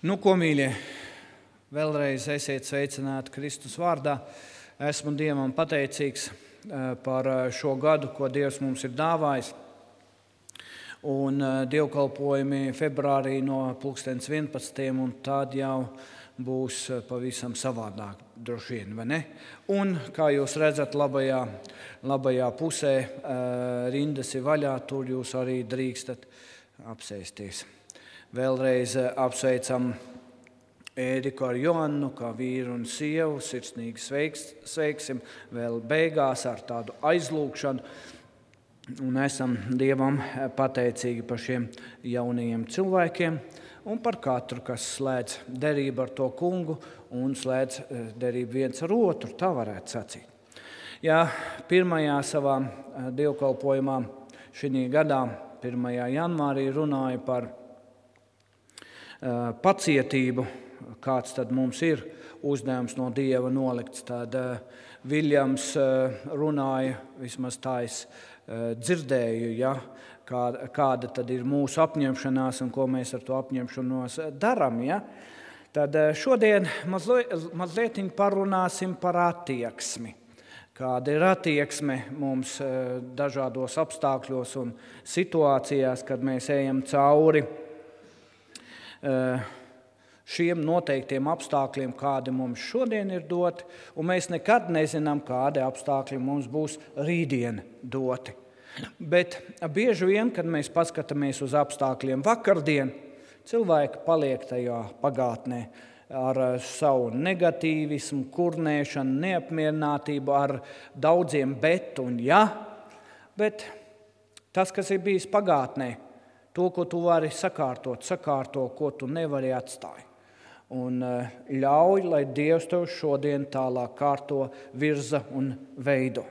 Nu, ko, mīļie, vēlreiz esiet sveicināti Kristus vārdā. Esmu Dievam pateicīgs par šo gadu, ko Dievs mums ir dāvājis. Un dievkalpojumi februārī no 11. un tad jau būs pavisam savādāk, droši vien, vai ne? Un, kā jūs redzat, labajā pusē rindas ir vaļā, tur jūs arī drīkstat apsēsties. Vēlreiz apsveicam Ēriku ar Joannu, kā vīru un sievu, sirsnīgi sveiksim vēl beigās ar tādu aizlūgšanu. Un esam Dievam pateicīgi par šiem jaunajiem cilvēkiem un par katru, kas slēdz derību ar to kungu un slēdz derību viens ar otru, tā varētu sacīt. Ja pirmajā savā dievkalpojumā šī gadā, 1. janvārī, runāja par pacietību, kāds tad mums ir uzdevums no Dieva nolikts, tad Viljams runāja, vismaz tā es dzirdēju, ja, kāda tad ir mūsu apņemšanās un ko mēs ar to apņemšanos darām. Ja. Tad šodien mazliet parunāsim par attieksmi. Kāda ir attieksme mums dažādos apstākļos un situācijās, kad mēs ejam cauri šiem noteiktiem apstākļiem, kādi mums šodien ir doti, un mēs nekad nezinām, kādi apstākļi mums būs rītdien doti. Bet bieži vien, kad mēs paskatāmies uz apstākļiem vakardien, cilvēki paliek tajā pagātnē ar savu negatīvismu, kurnēšanu, neapmierinātību, ar daudziem bet un ja, bet tas, kas ir bijis pagātnē, to, ko tu vari sakārto, ko tu nevari atstāt. Un ļauj, lai Dievs tev šodien tālāk kārto, virza un veido.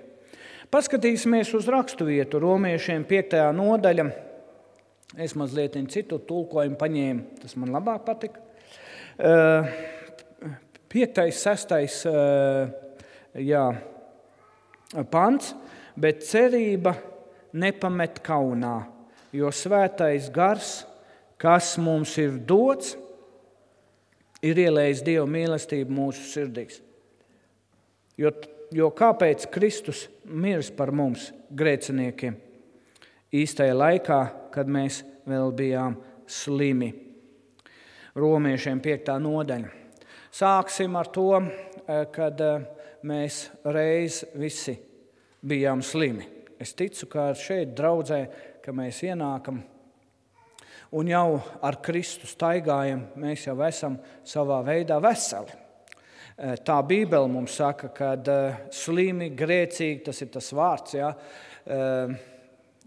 Paskatīsimies uz raksturvietu Romiešiem 5. nodaļa. Es mazliet citu tulkojumu paņēmu, tas man labāk patika. 5., 6. pants, bet cerība nepamet kaunā, jo svētais gars, kas mums ir dots, ir ielējis Dieva mīlestību mūsu sirdīs. Jo kāpēc Kristus miris par mums, grēciniekiem, īstajā laikā, kad mēs vēl bijām slimi? Romiešiem 5. nodaļa. Sāksim ar to, kad mēs reiz visi bijām slimi. Es ticu, ka šeit draudzē, ka mēs ienākam un jau ar Kristu staigājam, mēs jau esam savā veidā veseli. Tā Bībele mums saka, ka slimi, grēcīgi, tas ir tas vārds, ja,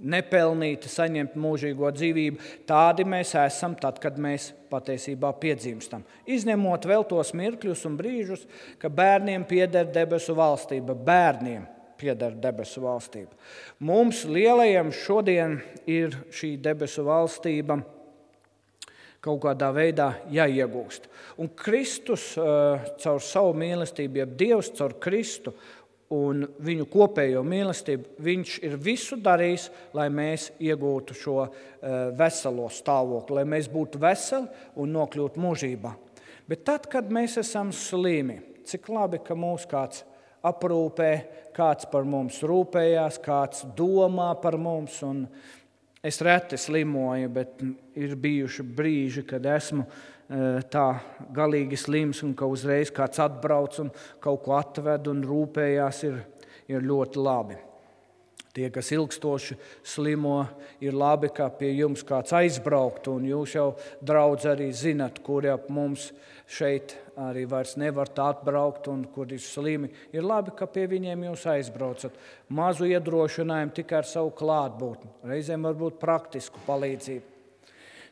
nepelnīti saņemt mūžīgo dzīvību, tādi mēs esam tad, kad mēs patiesībā piedzimstam. Izņemot vēl tos mirkļus un brīžus, ka bērniem pieder debesu valstība, pieder debesu valstība. Mums lielajiem šodien ir šī debesu valstība kaut kādā veidā jāiegūst. Un Kristus caur savu mīlestību, ja Dievs caur Kristu un viņu kopējo mīlestību, viņš ir visu darījis, lai mēs iegūtu šo veselo stāvokli, lai mēs būtu veseli un nokļūtu mūžībā. Bet tad, kad mēs esam slimi, cik labi, ka mūs kāds aprūpē, kāds par mums rūpējās, kāds domā par mums. Un es reti slimoju, bet ir bijuši brīži, kad esmu tā galīgi slims un ka uzreiz kāds atbrauc un kaut ko atved un rūpējās, ir ļoti labi. Tie, kas ilgstoši slimo, ir labi, ka pie jums kāds aizbraukt, un jūs jau, draudz, arī zinat, kuri ap mums šeit arī vairs nevar tā atbraukt, un kur ir slimi. Ir labi, ka pie viņiem jūs aizbraucat. Mazu iedrošinājumu tikai ar savu klātbūtni. Reizēm varbūt praktisku palīdzību.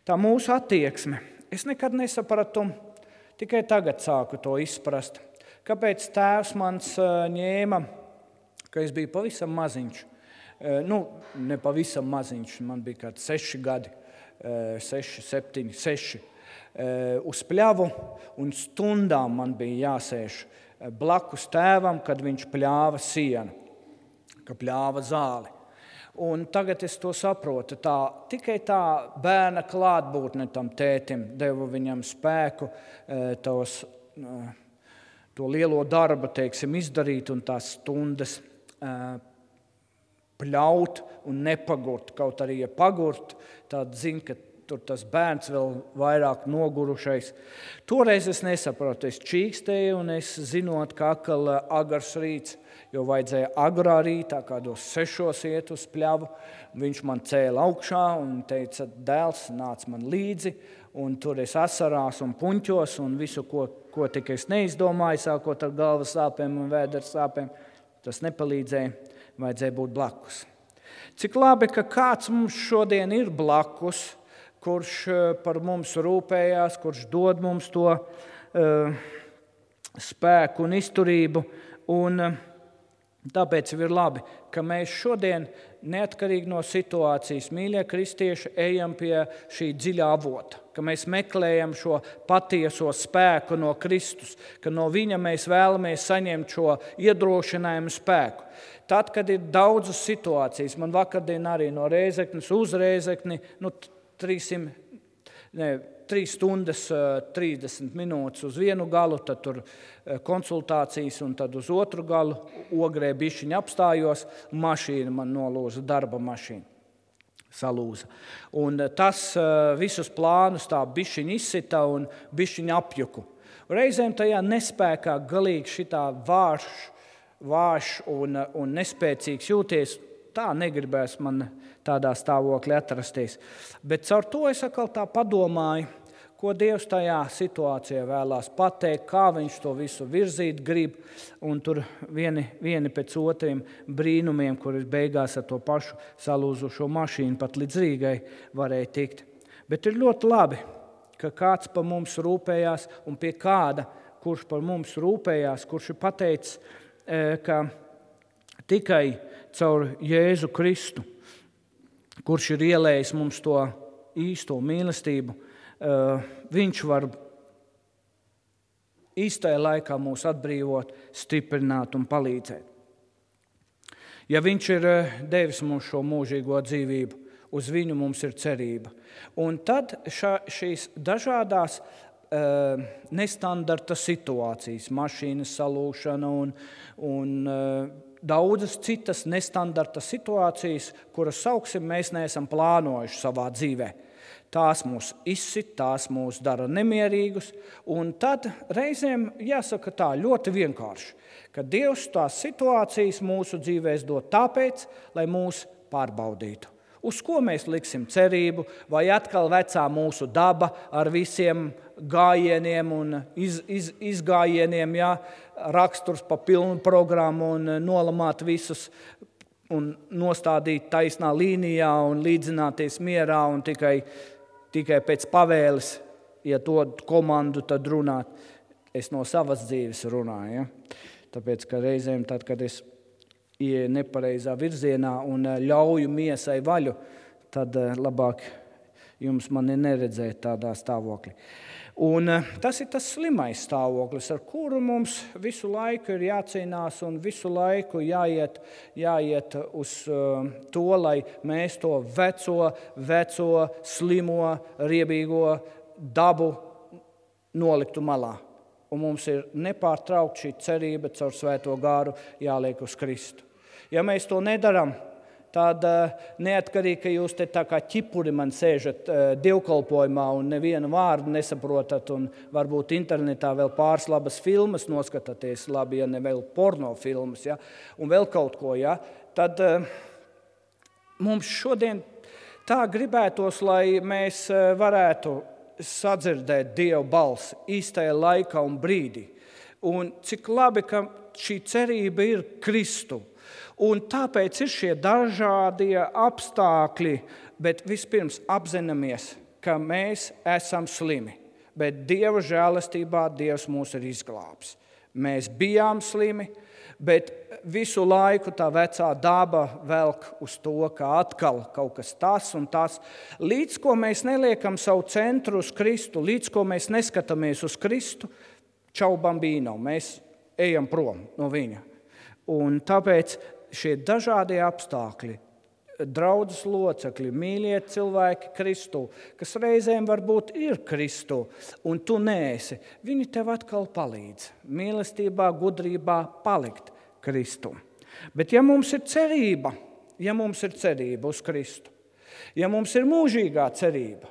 Tā mūsu attieksme. Es nekad nesapratu, tikai tagad sāku to izprast. Kāpēc tēvs mans ņēma, ka es biju pavisam maziņš. Ne pavisam maziņš, man bija kāds 6 gadi, 6, 7, 6, uz pļavu, un stundām man bija jāsēž blakus tēvam, kad viņš pļāva sienu, ka pļāva zāli. Un tagad es to saprotu. Tikai tā bērna klātbūtne tam tētim deva viņam spēku to lielo darbu, izdarīt un tās stundas pļaut un nepagurt. Kaut arī, ja pagurt, tad zina, ka tur tas bērns vēl vairāk nogurušais. Toreiz es nesapratu, es čīkstēju un es zinot, ka atkal agars rīts, jo vajadzēja agrā rītā, kādos 6 iet uz pļavu. Viņš man cēla augšā un teica, dēls, nāc man līdzi. Un tur es asarās un puņķos un visu, ko tikai es neizdomāju, sākot ar galvas sāpēm un vēdera sāpēm. Tas nepalīdzēja, vajadzēja būt blakus. Cik labi, ka kāds mums šodien ir blakus, kurš par mums rūpējās, kurš dod mums to spēku un izturību. Un tāpēc ir labi, ka mēs šodien, neatkarīgi no situācijas, mīļie kristieši, ejam pie šī dziļā avota, ka mēs meklējam šo patieso spēku no Kristus, ka no viņa mēs vēlamies saņemt šo iedrošinājumu spēku. Tad, kad ir daudzas situācijas, man vakardien arī no Rēzeknes uz Rēzekni, 3 stundas 30 minūtes uz vienu galu, tad tur konsultācijas un tad uz otru galu. Ogrē bišķiņ apstājos, mašīna man nolūza, darba mašīna salūza. Un tas visus plānus tā bišķiņ izsita un bišķiņ apjuku. Reizēm tajā nespēkā galīgi šitā vārš un nespēcīgs jūties. Tā negribēs man tādā stāvoklī atrasties. Bet caur to es atkal tā padomāju, ko Dievs tajā situācijā vēlās pateikt, kā viņš to visu virzīt grib, un tur vieni pēc otriem brīnumiem, kuri beigās ar to pašu salūzušo mašīnu pat līdz Rīgai varēja tikt. Bet ir ļoti labi, ka kāds par mums rūpējās un pie kāda, kurš par mums rūpējās, kurš ir pateicis, ka tikai caur Jēzu Kristu, kurš ir ielējis mums to īsto mīlestību, viņš var īstajā laikā mūs atbrīvot, stiprināt un palīdzēt. Ja viņš ir devis mums šo mūžīgo dzīvību, uz viņu mums ir cerība. Un tad šīs dažādās nestandarta situācijas, mašīnas salūšana un daudzas citas nestandarta situācijas, kuras sauksim, mēs neesam plānojuši savā dzīvē. Tās mūs izsit, tās mūs dara nemierīgus, un tad reizēm jāsaka tā ļoti vienkārši, ka Dievs tās situācijas mūsu dzīvēs dod tāpēc, lai mūs pārbaudītu. Uz ko mēs liksim cerību, vai atkal vecā mūsu daba ar visiem gājieniem un izgājieniem, raksturs pa pilnu programmu un nolamāt visus un nostādīt taisnā līnijā un līdzināties mierā un tikai pēc pavēles, ja to komandu tad runāt. Es no savas dzīves runāju, tāpēc, ka reizēm tad, kad es ieeju nepareizā virzienā un ļauju miesai vaļu, tad labāk jums mani neredzēt tādā stāvoklī. Un tas ir tas slimais stāvoklis, ar kuru mums visu laiku ir jācīnās un visu laiku jāiet uz to, lai mēs to veco, slimo, riebīgo dabu noliktu malā. Un mums ir nepārtraukt šī cerība caur Svēto Garu jāliek uz Kristu. Ja mēs to nedaram, tad neatkarīgi, ka jūs te tā kā ķipuri man sēžat dievkalpojumā un nevienu vārdu nesaprotat un varbūt internetā vēl pāris labas filmas noskatāties, labi, ja ne vēl porno filmas, un vēl kaut ko, tad mums šodien tā gribētos, lai mēs varētu sadzirdēt Dieva balsi īstajā laikā un brīdī. Un cik labi, ka šī cerība ir Kristu. Un tāpēc ir šie dažādie apstākļi, bet vispirms apzināmies, ka mēs esam slimi. Bet Dieva žēlastībā Dievs mūs ir izglābs. Mēs bijām slimi, bet visu laiku tā vecā daba velk uz to, ka atkal kaut kas tas un tas. Līdz ko mēs neliekam savu centru uz Kristu, līdz ko mēs neskatāmies uz Kristu, čau bambino, mēs ejam prom no viņa. Un tāpēc šie dažādie apstākļi draudzes locekļi, mīļie cilvēki Kristū, kas reizēm varbūt ir Kristū, un tu neesi, viņi tev atkal palīdz mīlestībā, gudrībā palikt Kristū. Bet ja mums ir cerība uz Kristu, ja mums ir mūžīgā cerība,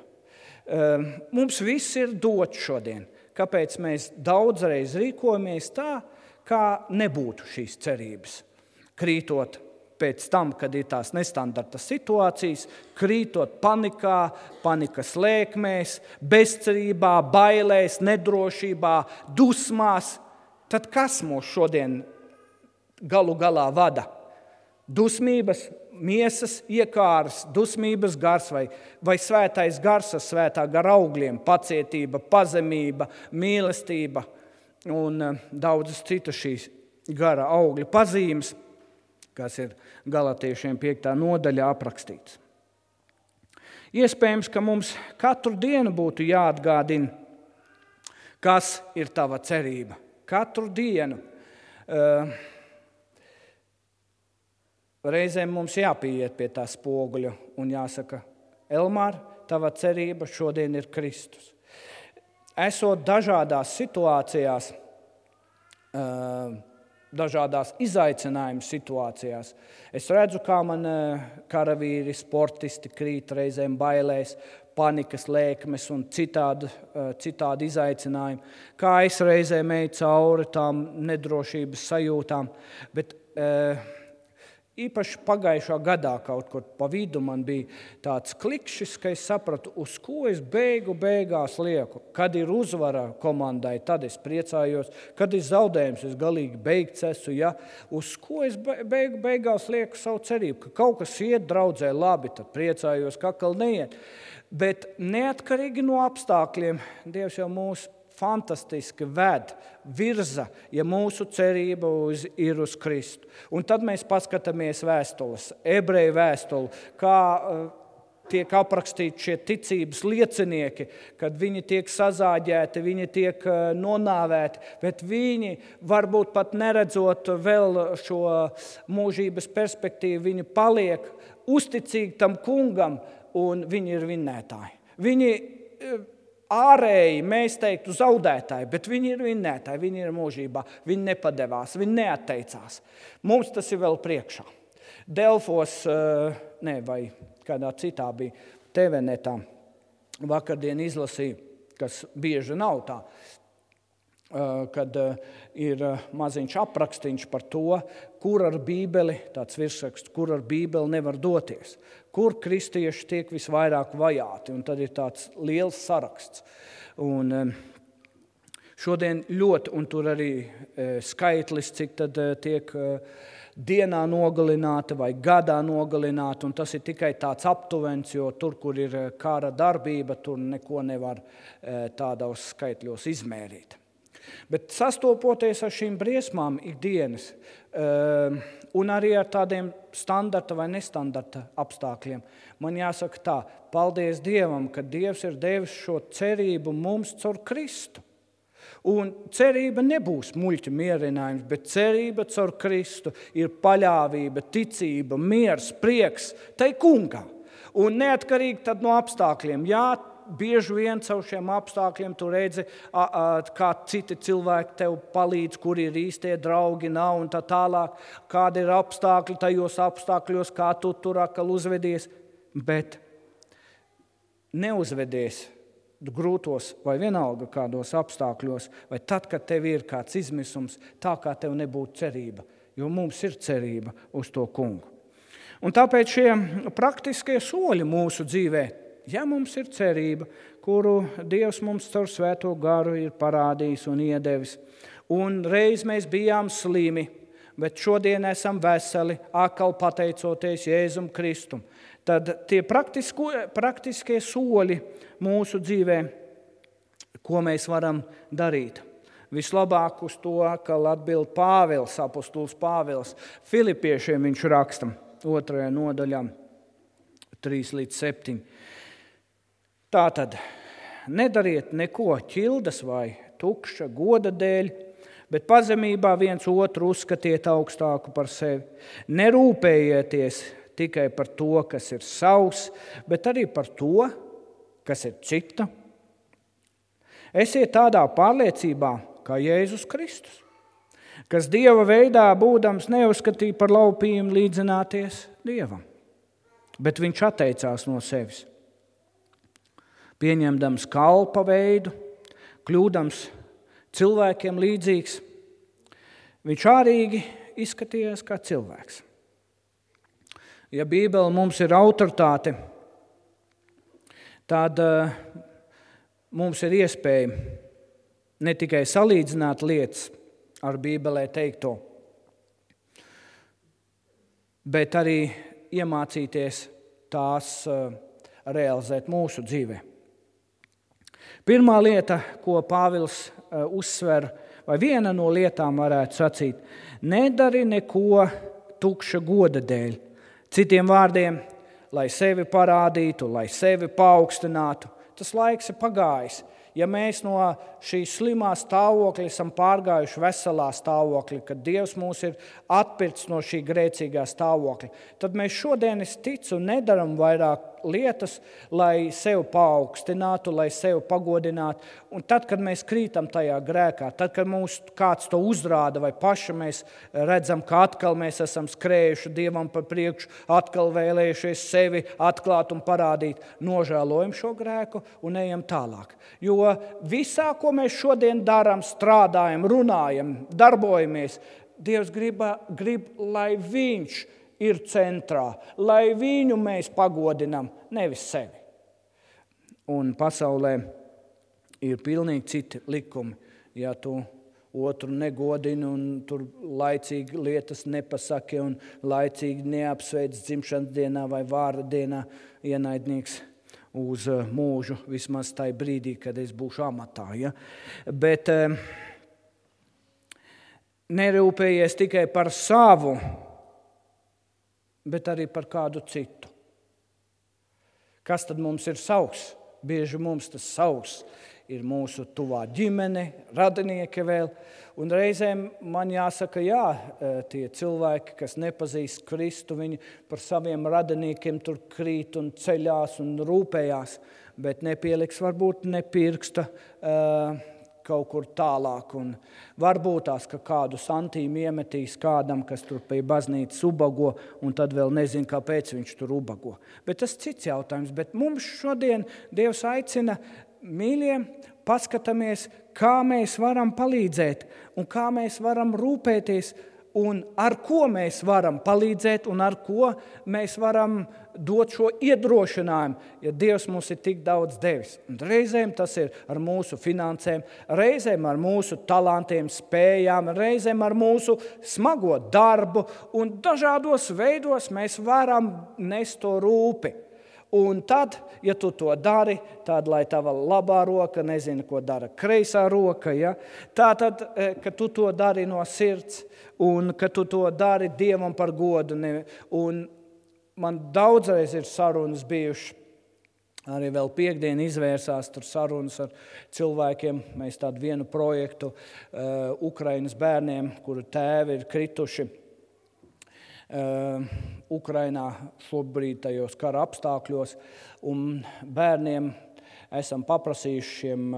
mums viss ir dots šodien. Kāpēc mēs daudzreiz rīkojamies tā, kā nebūtu šīs cerības, krītot pēc tam, kad ir tās nestandartas situācijas, krītot panikā, panikas lēkmēs, bezcerībā, bailēs, nedrošībā, dusmās, tad kas mūs šodien galu galā vada? Dusmības, miesas iekāras, dusmības gars vai svētais gars ar svētā gara augļiem, pacietība, pazemība, mīlestība un daudzas citas šīs gara augļu pazīmes, kas ir Galatiešiem 5. nodaļā aprakstīts. Iespējams, ka mums katru dienu būtu jāatgādina, kas ir tava cerība. Katru dienu. Reizēm mums jāpieiet pie tā spoguļa un jāsaka, Elmār, tava cerība šodien ir Kristus. Esot dažādās situācijās, dažādās izaicinājumu situācijās. Es redzu, kā man karavīri, sportisti krīt reizēm bailēs, panikas lēkmes un citādi izaicinājumi. Kā es reizēm eju cauri tām nedrošības sajūtām, bet īpaši pagājušā gadā kaut kur pa vidu man bija tāds klikšķis, ka es sapratu, uz ko es beigās lieku. Kad ir uzvara komandai, tad es priecājos. Kad ir zaudējums, es galīgi beigts esmu. Ja? Uz ko es beigās lieku savu cerību? Ka kaut kas iet draudzē labi, tad priecājos, ka atkal neiet. Bet neatkarīgi no apstākļiem, Dievs jau mūs fantastiski virza, ja mūsu cerība ir uz Kristu. Un tad mēs paskatāmies vēstules, ebreju vēstuli, kā tiek aprakstīti šie ticības liecinieki, kad viņi tiek sazāģēti, viņi tiek nonāvēti, bet viņi varbūt pat neredzot vēl šo mūžības perspektīvu, viņi paliek uzticīgi tam kungam un viņi ir vinnētāji. Viņi ārēji, mēs teiktu, zaudētāji, bet viņi ir vinnētāji, viņi ir mūžībā, viņi nepadevās, viņi neatteicās. Mums tas ir vēl priekšā. Delfos, vai kādā citā bija TV-netā, vakardien izlasīja, kas bieži nav tā, kad ir maziņš aprakstīns par to, kur ar Bībeli, tāds virsraksts, kur ar Bībeli nevar doties, kur kristieši tiek visvairāk vajāti, un tad ir tāds liels saraksts. Un šodien ļoti, un tur arī skaitlis, cik tad tiek dienā nogalināti vai gadā nogalināti, un tas ir tikai tāds aptuvens, jo tur, kur ir kara darbība, tur neko nevar tādos skaitļos izmērīt. Bet sastopoties ar šīm briesmām ikdienas un arī ar tādiem standarta vai nestandarta apstākļiem, man jāsaka tā, paldies Dievam, ka Dievs ir devis šo cerību mums caur Kristu. Un cerība nebūs muļķa mierinājums, bet cerība caur Kristu ir paļāvība, ticība, miers, prieks, tai kungā. Un neatkarīgi tad no apstākļiem, jā, bieži vien caur šiem apstākļiem tu redzi, kā citi cilvēki tev palīdz, kur ir īstie draugi, nav un tā tālāk, kādi ir apstākļi tajos apstākļos, kā tu tur atkal uzvedies, bet neuzvedies grūtos vai vienalga kādos apstākļos, vai tad, kad tev ir kāds izmisums, tā kā tev nebūtu cerība, jo mums ir cerība uz to kungu. Un tāpēc šie praktiskie soļi mūsu dzīvē, ja mums ir cerība, kuru Dievs mums caur svēto garu ir parādījis un iedevis, un reiz mēs bijām slimi, bet šodien esam veseli, atkal pateicoties Jēzum Kristum, tad tie praktiskie soļi mūsu dzīvē, ko mēs varam darīt. Vislabāk uz to, ka atbild Pāvils, apostols Pāvils, Filipiešiem viņš raksta 2. nodaļā 3-7. Tātad, nedariet neko ķildas vai tukša goda dēļ, bet pazemībā viens otru uzskatiet augstāku par sevi. Nerūpējieties tikai par to, kas ir savs, bet arī par to, kas ir cita. Esiet tādā pārliecībā, kā Jēzus Kristus, kas Dieva veidā būdams neuzskatīja par laupījumu līdzināties Dievam, bet viņš atteicās no sevis, pieņemdams kalpa veidu, kļūdams cilvēkiem līdzīgs. Viņš ārīgi izskatījās kā cilvēks. Ja Bībele mums ir autoritāte, tad mums ir iespēja ne tikai salīdzināt lietas ar Bībelē teikto, bet arī iemācīties tās realizēt mūsu dzīvē. Pirmā lieta, ko Pāvils uzsver, vai viena no lietām varētu sacīt, nedari neko tukša goda dēļ. Citiem vārdiem, lai sevi parādītu, lai sevi paaugstinātu. Tas laiks ir pagājis. Ja mēs no šīs slimā stāvokļa esam pārgājuši veselā stāvokļa, kad Dievs mūs ir atpircis no šī grēcīgā stāvokļa, tad mēs šodien, es ticu, nedaram vairāk lietas, lai sevi paaugstinātu, lai sevi pagodinātu. Un tad, kad mēs krītam tajā grēkā, tad, kad mums kāds to uzrāda, vai paši mēs redzam, ka atkal mēs esam skrējuši Dievam par priekšu, atkal vēlējušies sevi atklāt un parādīt, nožēlojam šo grēku un ejam tālāk. Jo visā, ko mēs šodien darām, strādājam, runājam, darbojamies, Dievs grib, lai Viņš ir centrā, lai Viņu mēs pagodinām, nevis sevi. Un pasaulē ir pilnīgi citi likumi. Ja tu otru negodini un tur laicīgi lietas nepasaki un laicīgi neapsveic dzimšanas dienā vai vārda dienā, ienaidnieks uz mūžu, vismaz tajā brīdī, kad es būšu amatā. Ja? Bet nerūpējies tikai par savu, bet arī par kādu citu. Kas tad mums ir savs? Bieži mums tas savs ir mūsu tuvā ģimene, radinieki vēl. Un reizēm man jāsaka, jā, tie cilvēki, kas nepazīst Kristu, viņi par saviem radiniekiem tur krīt un ceļās un rūpējās, bet nepieliks varbūt ne pirksta kaut kur tālāk. Un varbūt tās, ka kādu santīmu iemetīs kādam, kas tur pie baznīcas ubago, un tad vēl nezin, kāpēc viņš tur ubago. Bet tas cits jautājums. Bet mums šodien Dievs aicina, mīļie, paskatāmies, kā mēs varam palīdzēt un kā mēs varam rūpēties un ar ko mēs varam palīdzēt un ar ko mēs varam dot šo iedrošinājumu, ja Dievs mums ir tik daudz devis. Un reizēm tas ir ar mūsu finansēm, reizēm ar mūsu talantiem, spējām, reizēm ar mūsu smago darbu un dažādos veidos mēs varam nest to rūpi. Un tad, ja tu to dari, tad, lai tava labā roka nezina, ko dara kreisā roka, ja? Tātad, ka tu to dari no sirds un ka tu to dari Dievam par godu. Un man daudzreiz ir sarunas bijušas, arī vēl piekdien izvērsās tur sarunas ar cilvēkiem. Mēs tādu vienu projektu Ukrainas bērniem, kuru tēvi ir krituši Ukrainā šobrīd tajos kara apstākļos, un bērniem esam paprasījuši šiem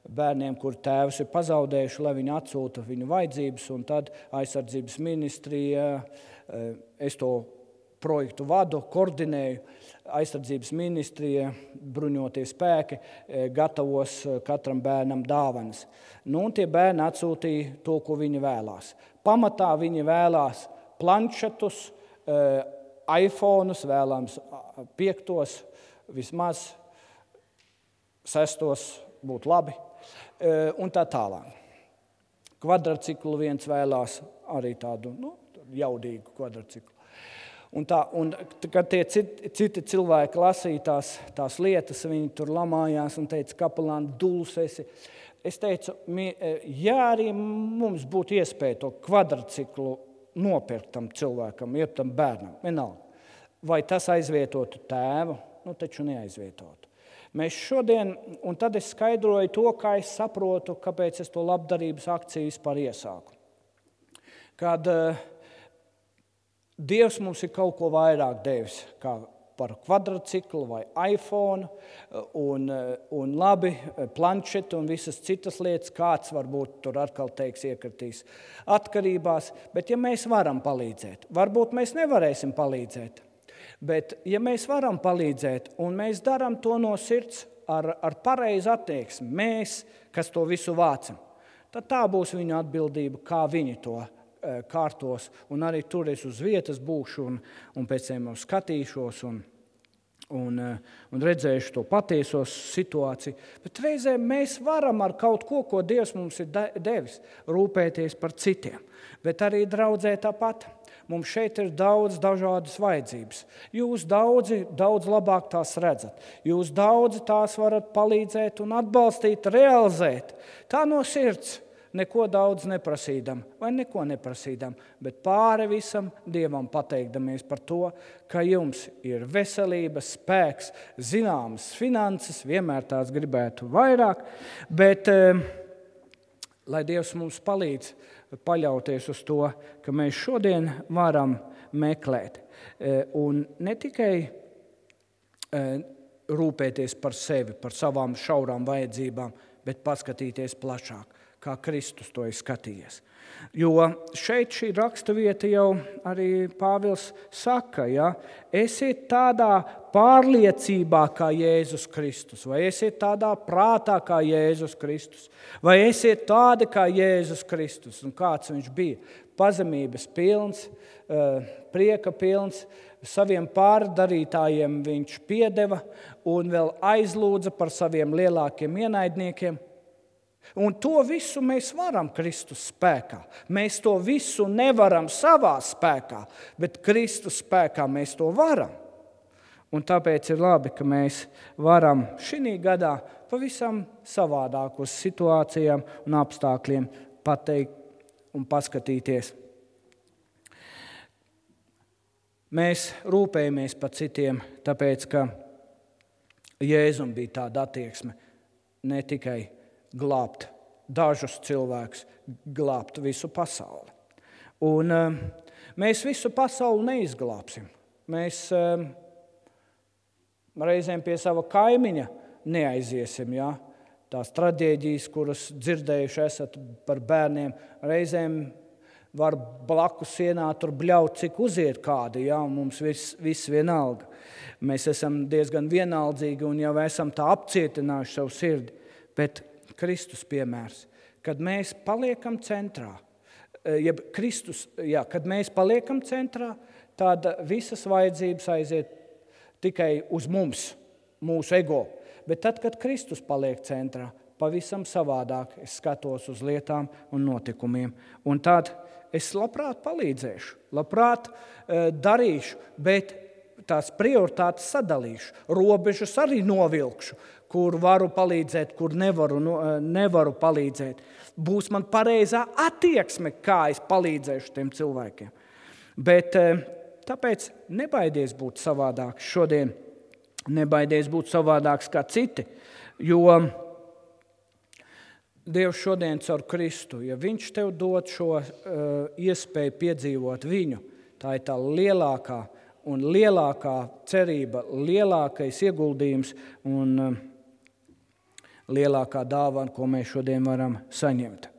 bērniem, kur tēvs ir pazaudējuši, lai viņi atsūta viņu vajadzības, un tad aizsardzības ministrija, es to projektu vadu, koordinēju, aizsardzības ministrija, bruņotie spēki, gatavos katram bērnam dāvanas. Nu, un tie bērni atsūtīja to, ko viņi vēlās. Pamatā viņi vēlās planšetus, iPhones, vēlams 5, vismaz 6 būtu labi, un tā tālāk. Kvadrciklu viens vēlās arī tādu jaudīgu kvadrciklu. Un kad tie citi cilvēki lasīja tās lietas, viņi tur lamājās un teica, kapelāni, duls esi. Es teicu, ja arī mums būtu iespēja to kvadrciklu nopirkt tam cilvēkam, jeb tam bērnam, vienalga. Vai tas aizvietotu tēvu? Nu, taču neaizvietotu. Mēs šodien, un tad es skaidroju to, kā es saprotu, kāpēc es to labdarības akciju vispār iesāku. Kad Dievs mums ir kaut ko vairāk devis, kā par kvadrciklu vai iPhone un labi planšetu un visas citas lietas. Kāds varbūt tur atkal teiks iekritīs atkarībās, bet ja mēs varam palīdzēt, varbūt mēs nevarēsim palīdzēt, bet ja mēs varam palīdzēt un mēs darām to no sirds ar pareizu attieksmi, mēs, kas to visu vācam, tad tā būs viņu atbildība, kā viņi to kārtos, un arī tur es uz vietas būšu un pēc tam skatīšos un redzēšu to patieso situāciju. Bet reizēm mēs varam ar kaut ko Dievs mums ir devis, rūpēties par citiem. Bet arī draudzē tāpat. Mums šeit ir daudz dažādas vajadzības. Jūs daudz labāk tās redzat. Jūs daudzi tās varat palīdzēt un atbalstīt, realizēt. Tā no sirds. Neko daudz neprasīdam vai neko neprasīdam, bet pāri visam Dievam pateikdamies par to, ka jums ir veselība, spēks, zināmas finanses, vienmēr tās gribētu vairāk, bet lai Dievs mums palīdz paļauties uz to, ka mēs šodien varam meklēt un ne tikai rūpēties par sevi, par savām šaurām vajadzībām, bet paskatīties plašāk, kā Kristus to ir skatījies. Jo šeit šī raksturvieta jau arī Pāvils saka, ja, esiet tādā pārliecībā kā Jēzus Kristus, vai esiet tādā prātā kā Jēzus Kristus, vai esiet tādi kā Jēzus Kristus. Un kāds viņš bija? Pazemības pilns, prieka pilns, saviem pārdarītājiem viņš piedeva un vēl aizlūdza par saviem lielākiem ienaidniekiem. Un to visu mēs varam Kristus spēkā. Mēs to visu nevaram savā spēkā, bet Kristus spēkā mēs to varam. Un tāpēc ir labi, ka mēs varam šī gadā pavisam savādāk uz situācijām un apstākļiem pateikt un paskatīties. Mēs rūpējamies par citiem, tāpēc, ka Jēzum bija tāda attieksme ne tikai glābt dažus cilvēkus, glābt visu pasauli. Un mēs visu pasauli neizglābsim. Mēs reizēm pie sava kaimiņa neaiziesim, ja? Tās traģēdijas, kuras dzirdējuši esat par bērniem, reizēm var blakus sienā tur bļaut, cik uziet kādi, ja? Un mums viss vienalga. Mēs esam diezgan vienaldzīgi un jau esam tā apcietinājuši savu sirdi, bet Kristus piemērs, kad mēs paliekam centrā, kad mēs paliekam centrā, tad visas vajadzības aiziet tikai uz mums, mūsu ego. Bet tad, kad Kristus paliek centrā, pavisam savādāk es skatos uz lietām un notikumiem. Un tad es labprāt palīdzēšu, labprāt darīšu, bet tās prioritātes sadalīšu, robežas arī novilkšu, kur varu palīdzēt, kur nevaru palīdzēt. Būs man pareizā attieksme, kā es palīdzēšu tiem cilvēkiem. Bet tāpēc nebaidies būt savādāks šodien, nebaidies būt savādāks kā citi, jo Dievs šodien caur Kristu, ja viņš tev dod šo iespēju piedzīvot viņu, tā ir tā lielākā un lielākā cerība, lielākais ieguldījums un lielākā dāvana, ko mēs šodien varam saņemt.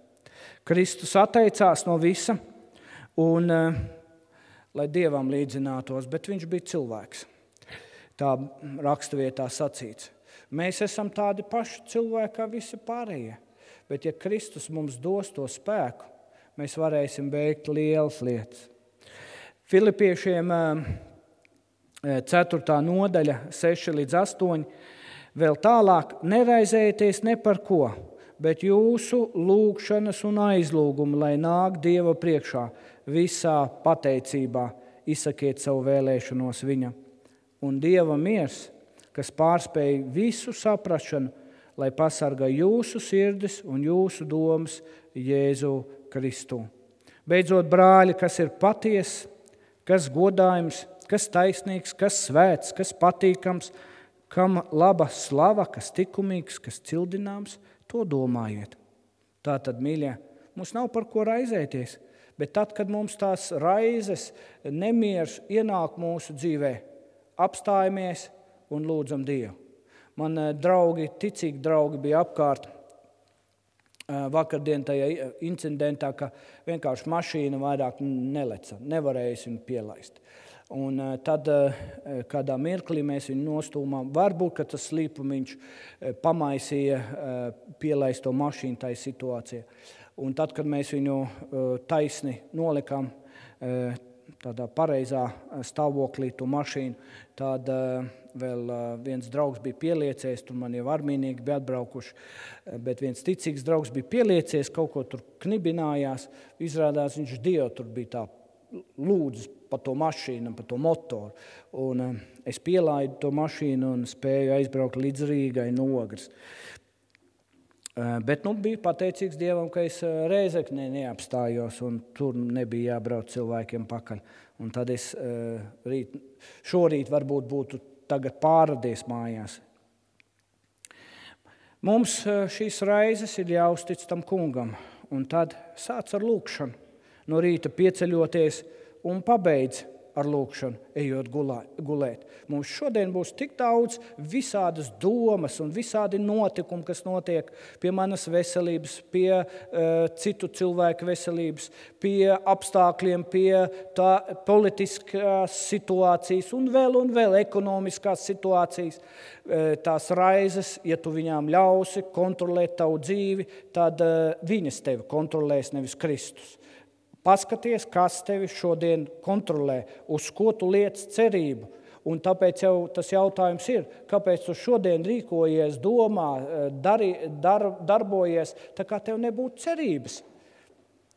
Kristus atteicās no visa un lai Dievam līdzinātos, bet viņš bija cilvēks. Tā raksturvietā sacīts. Mēs esam tādi paši cilvēki kā visi pārējie, bet ja Kristus mums dos to spēku, mēs varēsim veikt lielas lietas. Filipiešiem 4. nodaļa, 6 līdz 8. Vēl tālāk neraizējieties ne par ko, bet jūsu lūgšanas un aizlūgumi, lai nāk Dieva priekšā, visā pateicībā izsakiet savu vēlēšanos viņa. Un Dieva miers, kas pārspēj visu saprašanu, lai pasargā jūsu sirdis un jūsu domas Jēzu Kristu. Beidzot, brāļi, kas ir patiess, kas godājums, kas taisnīgs, kas svēts, kas patīkams, kam laba slava, kas likumīgs, kas cildināms, to domājiet. Tātad, mīļie, mums nav par ko raizēties, Bet tad, kad mums tās raizes, nemieris ienāk mūsu dzīvē, apstājamies un lūdzam Dievu. Man ticīgi draugi bija apkārt vakardien tajā incidentā, ka vienkārši mašīna vairāk neleca, nevarēja viņu pielaist. Un tad kādā mirklī mēs viņu nostūmām. Varbūt, ka tas slīpumiņš pamaisīja pielaist to mašīnu tajā situācijā. Un tad, kad mēs viņu taisni nolikām tādā pareizā stāvoklī to mašīnu, tad vēl viens draugs bija pieliecies, tur man jau armīnieki bija atbraukuši, bet viens ticīgs draugs bija pieliecies, kaut ko tur knibinājās. Izrādās, viņš Dievu tur bija tā lūdzis par to mašīnu, par to motoru. Un es pielaidu to mašīnu un spēju aizbraukt līdz Rīgai no Ogres. Bet bija pateicīgs Dievam, ka es Rēzeknē neapstājos un tur nebija jābrauc cilvēkiem pakaļ. Un tad es šorīt varbūt būtu tagad pārradies mājās. Mums šīs raizes ir jāuztic tam kungam, un tad sāc ar lūkšanu. No rīta pieceļoties un pabeidz ar lūkšanu, ejot gulēt. Mums šodien būs tik daudz visādas domas un visādi notikumi, kas notiek pie manas veselības, pie citu cilvēku veselības, pie apstākļiem, pie politiskās situācijas un vēl ekonomiskās situācijas. Tās raizes, ja tu viņām ļausi kontrolēt tavu dzīvi, tad viņas tevi kontrolēs, nevis Kristus. Paskaties, kas tevi šodien kontrolē, uz ko tu liec cerību. Un tāpēc jau tas jautājums ir, kāpēc tu šodien rīkojies, domā, darbojies, tā kā tev nebūtu cerības.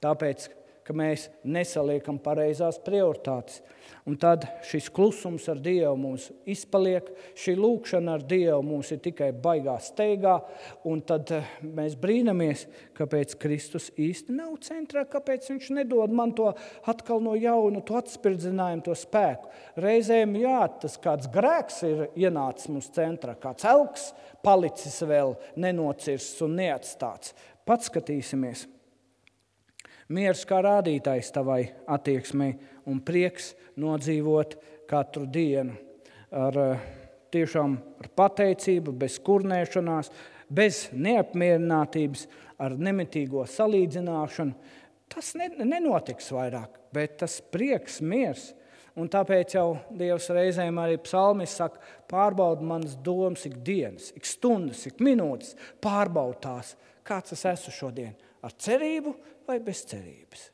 Tāpēc, ka mēs nesaliekam pareizās prioritātes. Un tad šis klusums ar Dievu mums izpaliek, šī lūkšana ar Dievu mums ir tikai baigā steigā, un tad mēs brīnamies, kāpēc Kristus īsti nav centrā, kāpēc viņš nedod man to atkal no jauna, to atspirdzinājumu, to spēku. Reizēm, tas kāds grēks ir ienācis mums centrā, kāds elks palicis vēl nenocirsts un neatstāts. Paskatīsimies. Miers kā rādītājs tavai attieksmei un prieks nodzīvot katru dienu tiešām ar pateicību, bez kurnēšanās, bez neapmierinātības, ar nemitīgo salīdzināšanu. Tas nenotiks vairāk, bet tas prieks, miers. Un tāpēc jau Dievs reizēm arī psalmis saka, pārbaud manas domas ik dienas, ik stundas, ik minūtes, pārbaud tās, kāds es esmu šodien, ar cerību vai bez cerības.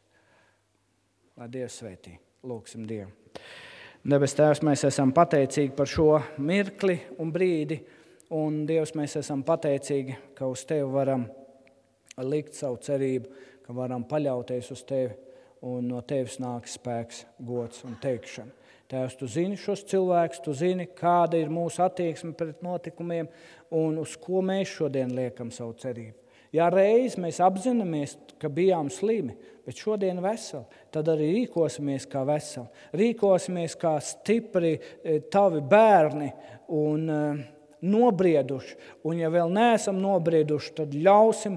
Lai Dievs svētī, lūksim Dievu. Debes Tēvs, mēs esam pateicīgi par šo mirkli un brīdi, un Dievs, mēs esam pateicīgi, ka uz Tevi varam likt savu cerību, ka varam paļauties uz Tevi, un no Tevis nāk spēks, gods un teikšana. Tēvs, Tu zini šos cilvēkus, Tu zini, kāda ir mūsu attieksme pret notikumiem, un uz ko mēs šodien liekam savu cerību. Ja reiz mēs apzināmies, ka bijām slimi, bet šodien veseli, tad arī rīkosimies kā veseli. Rīkosimies kā stipri tavi bērni un nobrieduši. Un ja vēl neesam nobrieduši, tad ļausim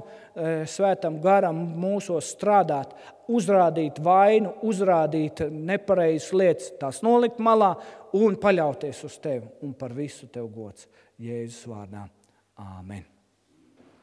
svētam garam mūsos strādāt, uzrādīt vainu, uzrādīt nepareizas lietas, tās nolikt malā un paļauties uz Tevi. Un par visu Tev gods Jēzus vārdā. Āmen.